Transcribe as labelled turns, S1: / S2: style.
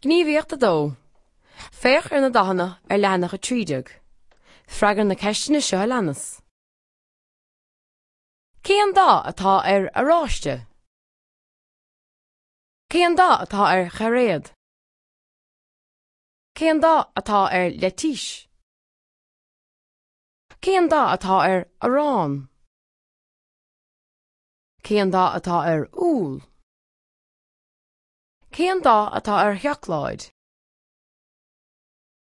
S1: Gníomhaíocht 2. Féach ar na dathanna ar leathanach 13. Freagair na ceisteanna seo a leanas. Cén dath atá ar oráiste? Cén dath atá ar chairéad? Cén dath atá ar leitís? Cén dath atá ar arán? Cén dath atá ar úll? Cén dath atá ar sheacláid?